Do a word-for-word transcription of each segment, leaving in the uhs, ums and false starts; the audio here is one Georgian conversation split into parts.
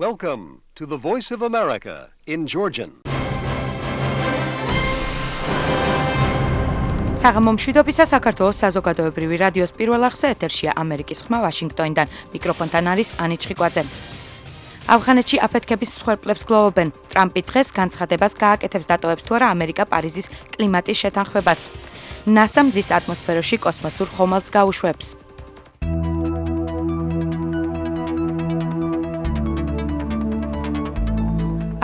Welcome to the Voice of America in Georgian. საღამო მშვიდობისა საქართველოს საზოგადოებრივი რადიოს პირველ არხზე ეთერშია ამერიკის ხმა ვაშინგტონიდან. მიკროფონთან არის ანი ჩხიკვაძე. ავღანეთში აფეთქების მსხვერპლებს გლოვობენ. ტრამპი დღეს განცხადებას გააკეთებს დატოვებს თუ არა ამერიკა პარიზის კლიმატის შეთანხმებას. ნასა მზის ატმოსფეროში კოსმოსურ ხომალდს გაუშვებს.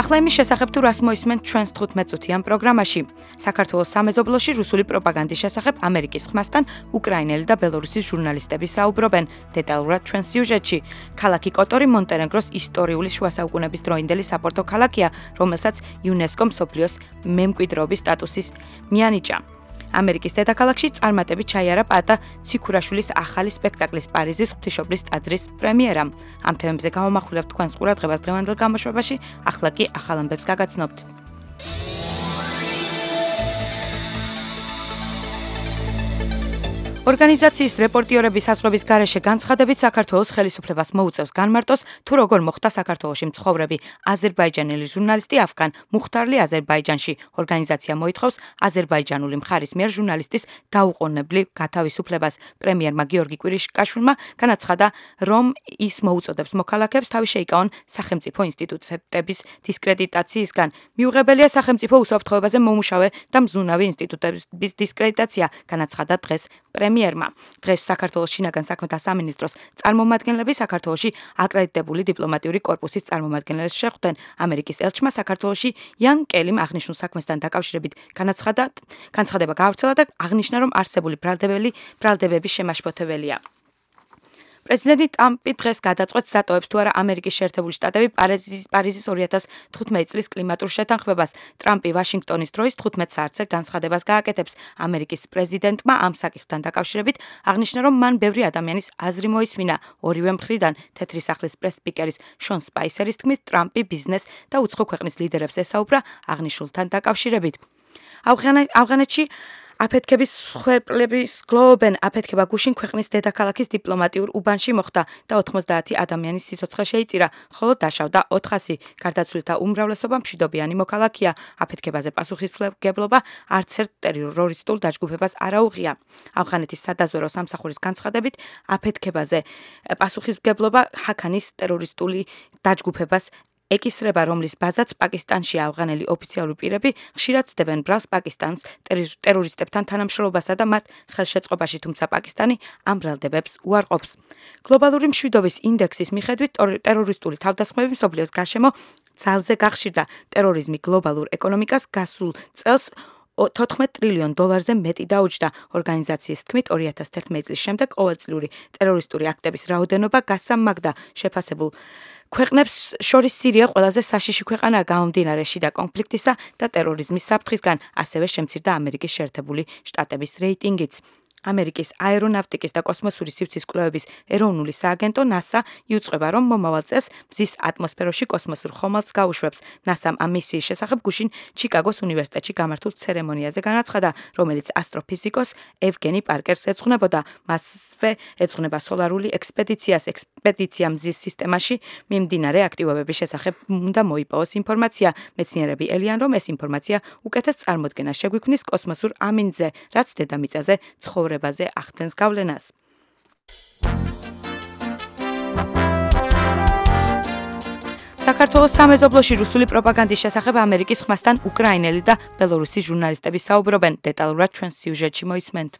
ახლა იმის შესახებ თუ რას მოისმენთ ჩვენს თხუთმეტ წუთიან პროგრამაში. საქართველოს სამეზობლოში რუსული პროპაგანდის შესახებ ამერიკის ხმასთან უკრაინელი და ბელორუსის ჟურნალისტები საუბრობენ. დეტალურად ჩვენს სიუჟეტში. ქალაქი კოტორი მონტენეგროს ისტორიული შუა საუკუნეების დროინდელი საპორტო ქალაქია, რომელსაც იუნესკომ მსოფლიოს მემკვიდრეობის სტატუსის მიანიჭა. ამერიკის დედაქალაქში წარმატებით ჩაიარა პატა ციქურაშვილის ახალი სპექტაკლის პარიზის ღვთისმშობლის ტაძრის პრემიერა. ამ თემებზე გამომახვილებთ თქვენს ყურადღებას დღევანდელ გამოშვებაში, ახლა კი ახალ ამბებს გაგაცნობთ. ორგანიზაციის რეპორტიორების საზღვრების გარეშე განცხადებით საქართველოს ხელისუფლებას მოუწევს განმარტოს, თუ როგორ მოხდა საქართველოში მცხოვრები აზერბაიჯანელი ჟურნალისტი αφგან მუხთარლი აზერბაიჯანში. ორგანიზაცია მოითხოვს აზერბაიჯანული მხარის მიერ ჟურნალისტის დაუყოვნებლივ გათავისუფლებას. პრემიერმა გიორგი კვირიშკაშვილმა განაცხადა, რომ ის მოუწოდებს მოქალაქეებს თავი შეიკავონ სახელმწიფო ინსტიტუტების დისკრედიტაციისგან. მიუღებელია სახელმწიფო უსაფრთხოებაზე მომუშავე და მზუნავი ინსტიტუტების დისკრედიტაცია, განაცხადა დღეს პრემიერმა. დღეს საქართველოს შინაგან საქმეთა სამინისტროს წარმომადგენლები საქართველოში აკრედიტებული დიპლომატიური კორპუსის წარმომადგენლებს შეხვდნენ. ამერიკის ელჩმა საქართველოში იან კელიმ აღნიშნულ საქმესთან დაკავშირებით განაცხადა, განცხადება გაავრცელა და აღნიშნა, რომ არსებული ბრალდებები ბრალდებების შემაშფოთებელია. პრეზიდენტი ტრამპი დღეს გადაწყვეტს დატოვებს თუ არა ამერიკის შეერთებული შტატები პარიზის პარიზის ორი ათას თხუთმეტი წლის კლიმატურ შეთანხმებას. ტრამპი ვაშინგტონის დროის თხუთმეტ საათზე განცხადებას გააკეთებს. ამერიკის პრეზიდენტმა ამ საკითხთან დაკავშირებით აღნიშნა, რომ მან ბევრი ადამიანის აზრი მოისმინა. ორივე მხრიდან თეთრი სახლის პრეს-სპიკერის შონ სპაისერის თქმით, ტრამპი ბიზნეს და უცხო ქვეყნის ლიდერებს ესაუბრა აღნიშნულთან დაკავშირებით. ავღანეთში აფეთქების მსხვერპლებს გლოვობენ. აფეთქება გუშინ ქვეყნის დედაქალაქის დიპლომატიურ უბანში მოხდა და ოთხმოცდაათი ადამიანის სიცოცხლე შეიწირა, ხოლო დაშავდა ოთხასი. გარდაცვლილთა უმრავლესობა მშვიდობიანი მოქალაქეა. აფეთქებაზე პასუხისმგებლობა არც ერთ ტერორისტულ დაჯგუფებას არ აუღია. ავღანეთის სადაზვერო სამსახურის განცხადებით, აფეთქებაზე პასუხისმგებლობა ჰაქანის ტერორისტული დაჯგუფებას ეკისრება, რომლის ბაზაც პაკისტანში. ავღანელი ოფიციალური პირები ხშირად ცდებენ ბრალს პაკისტანს ტერორისტებთან თანამშრომლობასა და მათ ხელშეწყობაში, თუმცა პაკისტანი ამ ბრალდებებს უარყოფს. გლობალური მშვიდობის ინდექსის მიხედვით ტერორისტული თავდასხმები მსოფლიოს გარშემო ძალზე გახშირდა. ტერორიზმი გლობალურ ეკონომიკას გასულ წელს თოთხმეტ ტრილიონ დოლარზე მეტი დაუჯდა. ორგანიზაციის თქმით, ორი ათას თერთმეტი წლის შემდეგ ყოველწლიური ტერორისტული აქტების რაოდენობა გასამაგდა. შეფასებულ ქვეყნებს შორის სირია ყველაზე საშიში ქვეყანაა გამომდინარე შიდა კონფლიქტისა და ტერორიზმის საფრთხისგან, ასევე შემცირდა ამერიკის შეერთებული შტატების რეიტინგიც. ამერიკის აერონავტიკის და კოსმოსური სივრცის კვლევების ეროვნული სააგენტო ნასა იუწყება, რომ მომავალ წელს მზის ატმოსფეროში კოსმოსურ ხომალდს გაუშვებს. ნასამ ამ მისიის შესახებ გუშინ ჩიკაგოს უნივერსიტეტში გამართულ ცერემონიაზე განაცხადა, რომელიც ასტროფიზიკოს ევგენი პარკერს ეძღვნებოდა. მასვე ეძღვნება სოლარული ექსპედიციას. ექსპედიცია მზის სისტემაში მიმდინარე აქტივობების შესახებ უნდა მოიპოვოს ინფორმაცია. მეცნიერები ელიან, რომ ეს ინფორმაცია უკეთეს წარმოდგენას შეგვიქმნის კოსმოსურ ამინდზე, რაც დედამიწაზე ცხოვრება ბაზე ახდენს გავლენას. საქართველოს სამეზობლოში რუსული პროპაგანდის შესახებ ამერიკის ხმასთან უკრაინელი და ბელორუსის ჟურნალისტები საუბრობენ. დეტალურად ჩვენს სიუჟეტში მოისმენთ.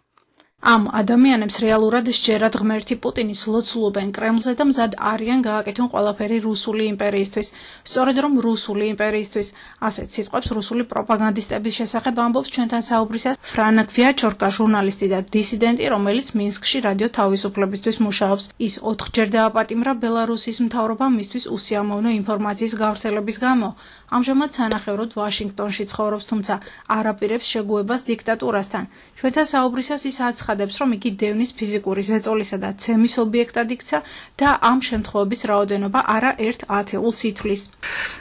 ამ ადამიანებს რეალურად სჯერათ ღმერთი პუტინის ლოცულობენ კრემლზე და მზად არიან გააკეთონ ყველაფერი რუსული იმპერიისთვის. სწორედ რომ რუსული იმპერიისთვის, ასეთ სიტყვებს რუსული პროპაგანდისტების შესახებ ამბობს ჩვენთან საუბრისას ფრანა გვიაჩორკა, ჟურნალისტი და დისიდენტი, რომელიც მინსკში რადიო თავისუფლებისთვის მუშაობს. ის ოთხჯერ დააპატიმრა ბელარუსის მთავრობამ მისთვის უსიამოვნო ინფორმაციის გავრცელების გამო. ამჟამად სანახევროდ ვაშინგტონში ცხოვრობს, თუმცა არაპირებს შეგუებას დიქტატურასთან. ჩვენთან საუბრისას ის აცხადებს, რომ იგი დევნის ფიზიკური ზეწოლისა და ცემის ობიექტად იქცა და ამ შემთხვევების რაოდენობა არა ერთ ათეულს ითვლის.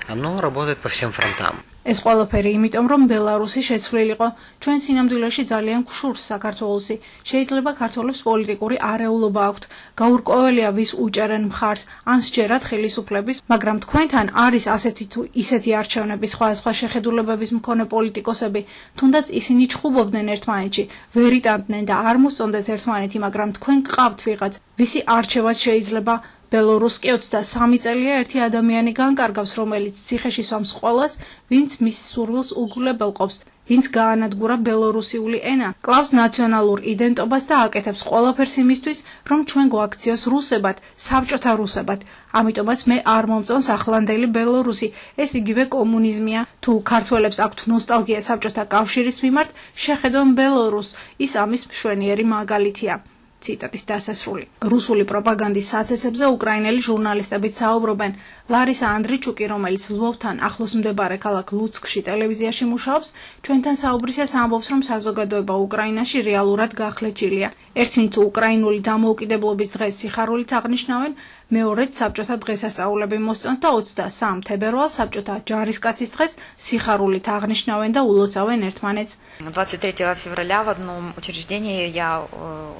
Оно работает по всем фронтам. ეს ყველაფერი იმიტომ, რომ ბელარუსი შეცვლილიყო ჩვენ სინამდვილეში ძალიან გშურს საქართველოსი. შეიძლება ქართველებს პოლიტიკური არეულობა აქვთ, გაურკვეველია ვის უჭერენ მხარს, ან სჯერათ ხელისუფლების, მაგრამ თქვენთან არის ასეთი თუ ისეთი არჩევნების სხვადასხვა შეხედულებების მქონე პოლიტიკოსები, თუნდაც ისინი ჩხუბობდნენ ერთმანეთში, ვერ იტანდნენ და არ მოსწონდეთ ერთმანეთი, მაგრამ თქვენ გყავთ ვიღაც, ვისი არჩევაც შეიძლება ბელორუსს კი ოცდასამი წელია ერთი ადამიანი განკარგავს, რომელიც ციხეში სვამს ყველას, ვინც მის სურვილს უგულებელყოფს, ვინც გაანადგურა ბელორუსიული ენა, კლავს ნაციონალურ იდენტობას და აკეთებს ყველაფერს იმისთვის, რომ ჩვენ გვაქციოს რუსებად, საბჭოთა რუსებად. ამიტომაც მე არ მომწონს ახლანდელი ბელორუსი, ეს იგივე კომუნიზმია. თუ ქართველებს აქვთ ნოსტალგია საბჭოთა კავშირის მიმართ, შეხედონ ბელორუსს, ის ამის მშვენიერი მაგალითია. ციტატის დასასრული. რუსული პროპაგანდის საცეცებზე უკრაინელი ჟურნალისტები საუბრობენ. ლარისა ანდრიჩუკი, რომელიც ლვოვთან ახლოს მდებარე ქალაქ ლუცკში ტელევიზიაში მუშაობს, ჩვენთან საუბრისას ამბობს, რომ საზოგადოება უკრაინაში რეალურად გახლეჩილია. ერთნი თუ უკრაინული დამოუკიდებლობის დღეს სიხარულით აღნიშნავენ, მეორეც საბჭოთა დღესასწაულები მოსწონთ და ოცდასამ თებერვალს საბჭოთა ჯარისკაცის დღეს სიხარულით აღნიშნავენ და ულოცავენ ერთმანეთს. двадцать третьего февраля в одном учреждении я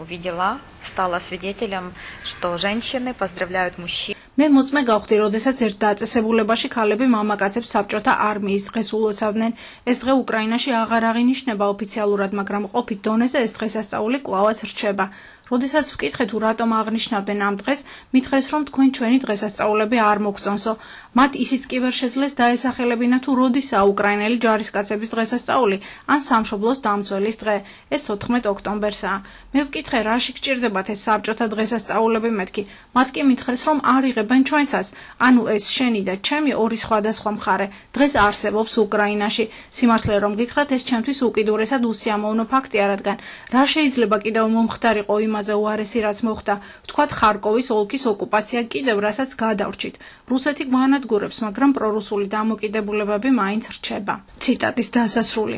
увидела, стала свидетелем, что женщины поздравляют мужчин. მე მოწმე გავხდი, როდესაც ერთ დაწესებულებაში ქალები მამაკაცებს საბჭოთა არმიის დღეს ულოცავდნენ. ეს დღე უკრაინაში აღარ აღინიშნება ოფიციალურად, მაგრამ ყოფით დონეზე ეს დღესასწაული კვლავაც რჩება. როდესაც ვკითხე თუ რატომ აღნიშნავდნენ ამ დღეს, მითხრეს, რომ თქვენ ჩვენი დღესასწაულები არ მოგწონსო. მათ ისიც კი ვერ შეძლეს დაესახელებინა თუ როდისაა უკრაინელი ჯარისკაცების დღესასწაული, ან სამშობლოს დამცველის დღე. ეს ოთხმეტ ოქტომბერსაა. მე ვკითხე, რაში გჭირდებათ ეს საბჭოთა დღესასწაულები მეთქი. მათ კი მითხრეს, რომ არ იღებენ ჩვენცას. ანუ ეს შენი და ჩემი ორი სხვადასხვა მხარე დღეს არსებობს უკრაინაში. სიმართლე რომ გითხრათ, ეს ჩემთვის უკიდურესად უსიამოვნო ფაქტია, რადგან რა შეიძლება კიდევ მომხდარიყო იმაზე უარესი რაც მოხდა, ვთქვათ ხარკოვის ოლქის ოკუპაცია კიდევ რასაც გადავრჩით. რუსეთი გვანადგურებს, მაგრამ პრორუსული დამოკიდებულებები მაინც რჩება. ციტატის დასასრული.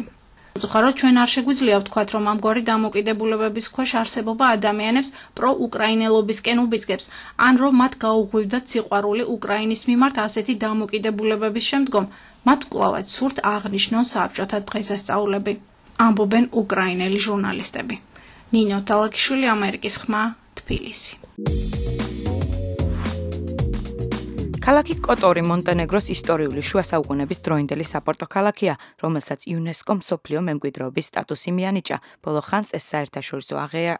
უხარო ჩვენ არ შეგვიძლია ვთქვათ, რომ ამგვარი დამოკიდებულებების ქვეშ არსებობა ადამიანებს პროუკრაინელობისკენ უბიძგებს, ან რომ მათ გაუღვივდათ სიყვარული უკრაინის მიმართ ასეთი დამოკიდებულებების შემდგომ, მათ კვლავაც სურთ აღნიშნონ საბჭოთა დღესასწაულები. ამბობენ უკრაინელი ჟურნალისტები. ნინო თალაკიშვილი, ამერიკის ხმა, თბილისი. ქალაქი კოტორი მონტენეგროს ისტორიული შუა საუკუნეების დროინდელი საპორტო ქალაქია, რომელსაც იუნესკომ მსოფლიო მემკვიდრეობის სტატუსი მიანიჭა. ბოლო ხანს ეს საერთაშორისო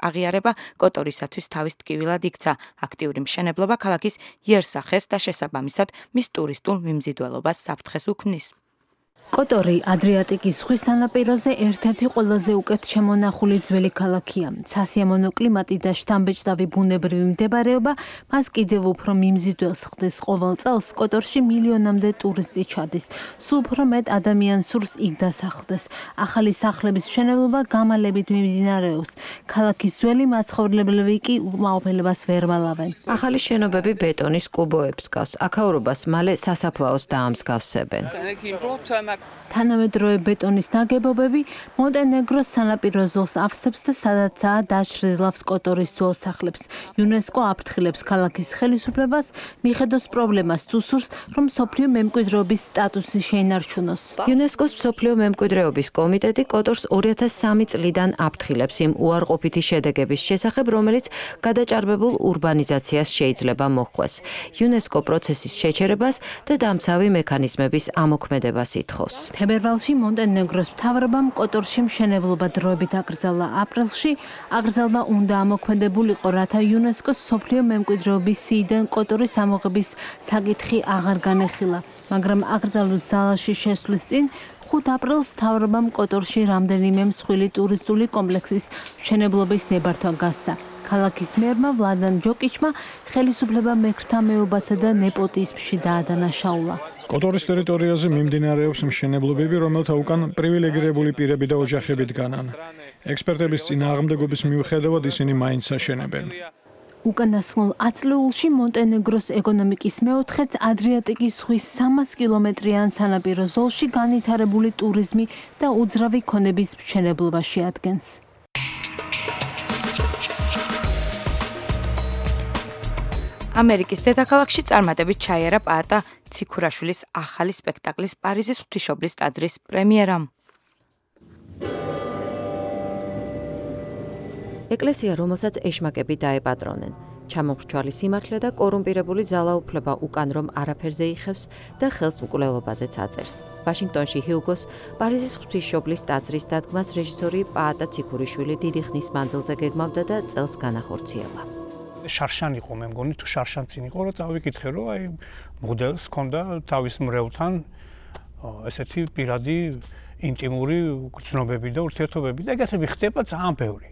აღიარება კოტორისათვის თავის ტკივილად იქცა. აქტიური მშენებლობა ქალაქის იერსახეს და შესაბამისად მის ტურისტულ მიმზიდველობას საფრთხეს უქმნის. კოტორი ადრიატიკის ზღვის სანაპიროზე ერთ-ერთი ყველაზე უკეთ შემონახული ძველი ქალაქია. სასიამოვნო კლიმატი და შთამბეჭდავი ბუნებრივი მდებარეობა მას კიდევ უფრო მიმზიდველს ხდის. ყოველ წელს კოტორში მილიონამდე ტურისტი ჩადის. სულ უფრო მეტ ადამიანს სურს იქ დასახლდეს. ახალი სახლების მშენებლობა გამალებით მიმდინარეობს. ქალაქის ძველი მაცხოვრებლები კი უკმაყოფილებას ვერ ვალავენ. ახალი შენობები ბეტონის კუბოებს გავს. აქაურობას მალე სასაფლაოს დაამსგავსებენ. თანამედროვე ბეტონის ნაგებობები მონტენეგროს სანაპირო ზოლს ავსებს და სადაცაა დაჩრდილავს კოტორის ძველ სახლებს. იუნესკო აფრთხილებს ქალაქის ხელისუფლებას, მიხედოს პრობლემას თუ სურს, რომ მსოფლიო მემკვიდრეობის სტატუსი შეინარჩუნოს. იუნესკოს მსოფლიო მემკვიდრეობის კომიტეტი კოტორს ორი ათას სამი წლიდან აფრთხილებს იმ უარყოფითი შედეგების შესახებ, რომელიც გადაჭარბებულ ურბანიზაციას შეიძლება მოჰყვეს. იუნესკო პროცესის შეჩერებას და დამცავი მექანიზმების ამოქმედებას ითხოვს. თებერვალში მონტენეგროს მთავრობამ კოტორში მშენებლობა დროებით აკრძალა. აპრილში აკრძალვა უნდა ამოქმედებულიყო, რათა იუნესკოს მსოფლიო მემკვიდრეობის სიიდან კოტორის ამოღების საკითხი აღარ განეხილა, მაგრამ აკრძალვის ძალაში შესვლის წინ ხუთ აპრილს მთავრობამ კოტორში რამდენიმე მსხვილი ტურისტული კომპლექსის მშენებლობის ნებართვა გასცა. ქალაქის მერმა ვლადან ჯოკიჩმა ხელისუფლება მექრთა მეობასა და ნეპოტიზმში დაადანაშაულა. კოტორის ტერიტორიაზე მიმდინარეობს მშენებლობები, რომელთა უკან პრივილეგირებული პირები და ოჯახები დგანან. ექსპერტების წინააღმდეგობის მიუხედავად ისინი მაინც აშენებენ. უკანასკნელ ათწლეულში მონტენეგროს ეკონომიკის მეოთხედს ადრიატიკის ზღვის სამას კილომეტრიან სანაპირო ზოლში განვითარებული ტურიზმი და უძრავი ქონების მშენებლობა შეადგენს. ამერიკის დედაქალაქში წარმატებით ჩაიარა პაატა ციქურაშვილის ახალი სპექტაკლის პარიზის ღვთისმშობლის ტაძრის პრემიერამ. ეკლესია, რომელსაც ეშმაკები დაეპატრონენ, ჩამომრჩვალი სიმართლე და კორუმპირებული ძალაუფლება უკან რომ არაფერზე იხევს და ხელს მკვლელობაზეც აწერს. ვაშინგტონში ჰიუგოს პარიზის ღვთისმშობლის ტაძრის დადგმას რეჟისორი პაატა ციქურიშვილი დიდი ხნის მანძილზე გეგმავდა და წელს განახორციელა. შარშან იყო, მე მგონი თუ შარშანცინ იყო, რომ წავიკითხე, რომ აი მოდელს ჰქონდა თავის მრევლთან ესეთი პირადი ინტიმური გრძნობები და ურთიერთობები და ეგეთები ხდება ძალიან ბევრი.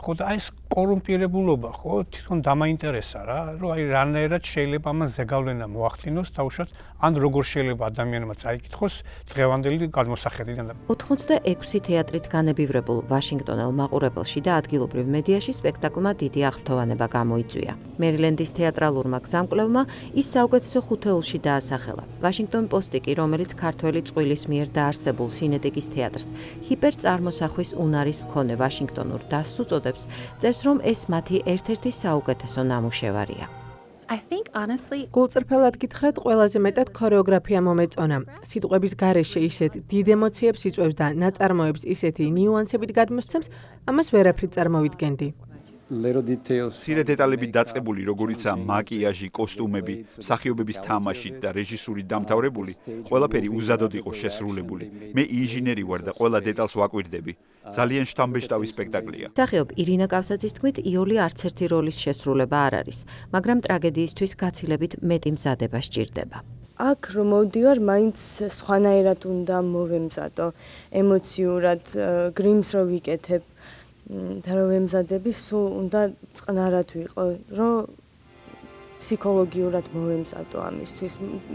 ხო და აი ეს კორუმპირებულობა, ხო, თვითონ დამაინტერესა რა, რომ აი რანაირად შეიძლება ამას ზეგავლენა მოახდინოს თავშოთ, ან როგორ შეიძლება ადამიანმა წაიკითხოს დღევანდელი გადმოსახედიდან. ოთხმოცდაექვსი თეატრით განებივრებულ ვაშინგტონელ მაყურებელში და ადგილობრივ მედიაში სპექტაკლმა დიდი აღფრთოვანება გამოიწვია. მერილენდის თეატრალურმა გზამკვლევმა ის საუკეთესო ხუთეულში დაასახელა. ვაშინგტონ პოსტი კი, რომელიც ქართველი წყვილის მიერ დაარსებულ სინეტიკის თეატრს ჰიპერწარმოსახვის უნარის მქონე ვაშინგტონურ დასს უწოდებს, წერს, რომ ეს მათი ერთ-ერთი საუკეთესო ნამუშევარია. გულწრფელად გითხრათ, ყველაზე მეტად ქორეოგრაფია მომეწონა. სიტყვების გარეშე ისეთ დიდ ემოციებს იწვევს და ნაწარმოებს ისეთი ნიუანსებით გადმოსცემს, ამას ვერაფრით წარმოვიდგენდი. მცირე დეტალებით დაწყებული, როგორიცაა მაკიაჟი, კოსტუმები, მსახიობების თამაში და რეჟისური დამთავრებული, ყველაფერი უზადოდ იყო შესრულებული. მე ინჟინერი ვარ და ყველა დეტალს ვაკვირდები. ძალიან შთამბეჭდავი სპექტაკლია. მსახიობ ირინა კავსაძის თქმით, იოლი არც ერთი როლის შესრულება არ არის, მაგრამ ტრაგედიისთვის გაცილებით მეტი მზადება სჭირდება. აქ რომ მოვდივარ, მაინც სხვანაირად უნდა მოვემზადო, ემოციურად, გრიმს რო ვიკეთებ. და რომ ემზადები, სულ უნდა წყნარად ვიყო, რომ ფსიქოლოგიურად მოვემზადო ამისთვის.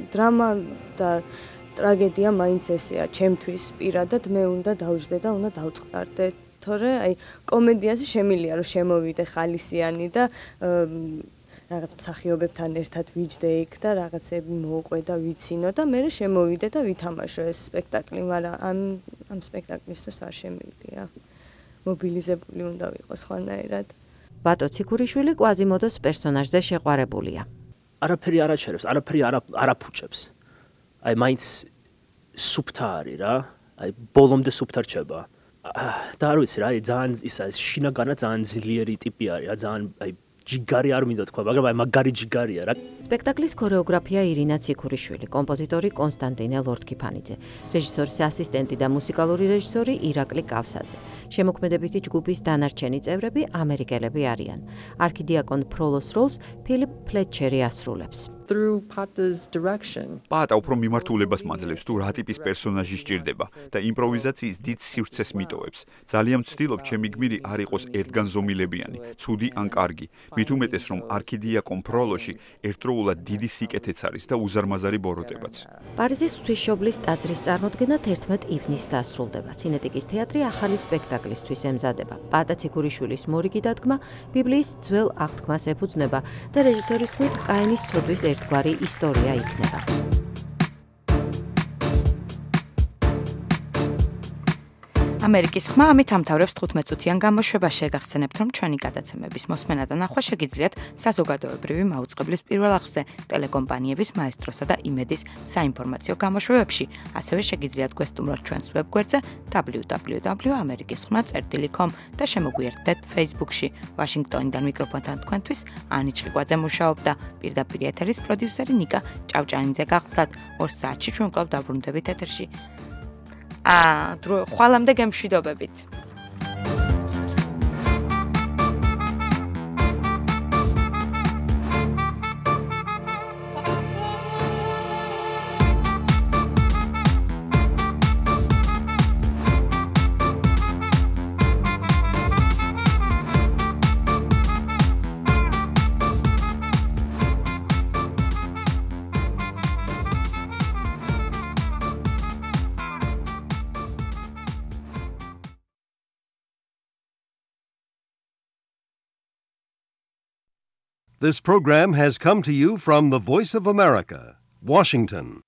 დრამა და ტრაგედია მაინც ესეა, ჩემთვის პირადად მე უნდა დავждდე და უნდა დავწყდარდე, თორე აი კომედიაზე შემილია რომ შემოვიდე ხალისიანი და რაღაც მსახიობებთან ერთად ვიჯდე იქ და რაღაცები მოვყვე და ვიცინო და მე შემოვიდე და ვითამაშო ეს სპექტაკლი, მაგრამ ამ ამ სპექტაკლისთვის არ შემივიდია. მობილიზებული უნდა ვიყო სხვანაირად. ბატო ციქურიშვილი კვაზიმოდოს პერსონაჟზე შეყვარებულია. არაფერი არ აჩერებს, არაფერი არ აფუჭებს. აი მაინც სუფთა არის რა, აი ბოლომდე სუფთა რჩება. და არ ვიცი რა, აი ძალიან ისა შინაგანა ძალიან ძლიერი ტიპი არის, რა ძალიან აი ჯიგარი არ მინდა თქვა, მაგრამ აი მაგარი ჯიგარია რა. სპექტაკლის ქორეოგრაფია ირინა ციქურიშვილი, კომპოზიტორი კონსტანტინე ლორთქიფანიძე, რეჟისორის ასისტენტი და მუსიკალური რეჟისორი ირაკლი კავსაძე. შემოქმედებითი ჯგუფის დანარჩენი წევრები ამერიკელები არიან. არქიდიაკონ ფროლოს როლს ფილიპ ფლეტჩერი ასრულებს. პაატა უფრო მიმართულებას მაძლევს თუ რა ტიპის პერსონაჟი სჭირდება და იმპროვიზაციის დიდ სივრცეს მიტოვებს. ძალიან ვცდილობ ჩემი გმირი არ იყოს ერთგანზომილებიანი, ცუდი ან კარგი. მით უმეტეს რომ არქიდიაკონ ფროლოში ერთდროულად დიდი სიკეთეც არის და უზარმაზარი ბოროტებაც. პარიზის ღვთისმშობლის ტაძრის წარმოდგენა თერთმეტ ივნისს დასრულდება. სინეტიკის თეატრი ახალი სპექტაკლისთვის ემზადება. პაატა ციქურიშვილის მორიგი დადგმა ბიბლიის ძველ აღთქმას ეფუძნება და რეჟისორის თქმით კაინის ცოდვის ერთგვარი ისტორია იქნება. ამერიკის ხმა ამით ამთავრებს თხუთმეტ-წუთიან გამოშვებას. შეგახსენებთ, რომ ჩვენი გადაცემების მოსმენა და ნახვა შეგიძლიათ საზოგადოებრივი მაუწყებლის პირველ არხზე, ტელეკომპანიების მაესტროსა და იმედის საინფორმაციო გამოშვებებში. ასევე შეგიძლიათ გვესტუმროთ ჩვენს ვებგვერდზე დაბლიუ დაბლიუ დაბლიუ ამერიკის ხმა წერტილი კომ და შემოგვიერთდეთ Facebook-ში. ვაშინგტონიდან მიკროფონთან თქვენთვის ანი ჩხიკვაძე მუშაობდა. პირდაპირ ეთერის პროდიუსერი ნიკა ჭავჭანიძე გახლდათ. ორ საათში ჩვენ კვლავ დაბრუნდებით ეთერში. აა, დრო ხვალამდე გემშვიდობებით. This program has come to you from the Voice of America, Washington.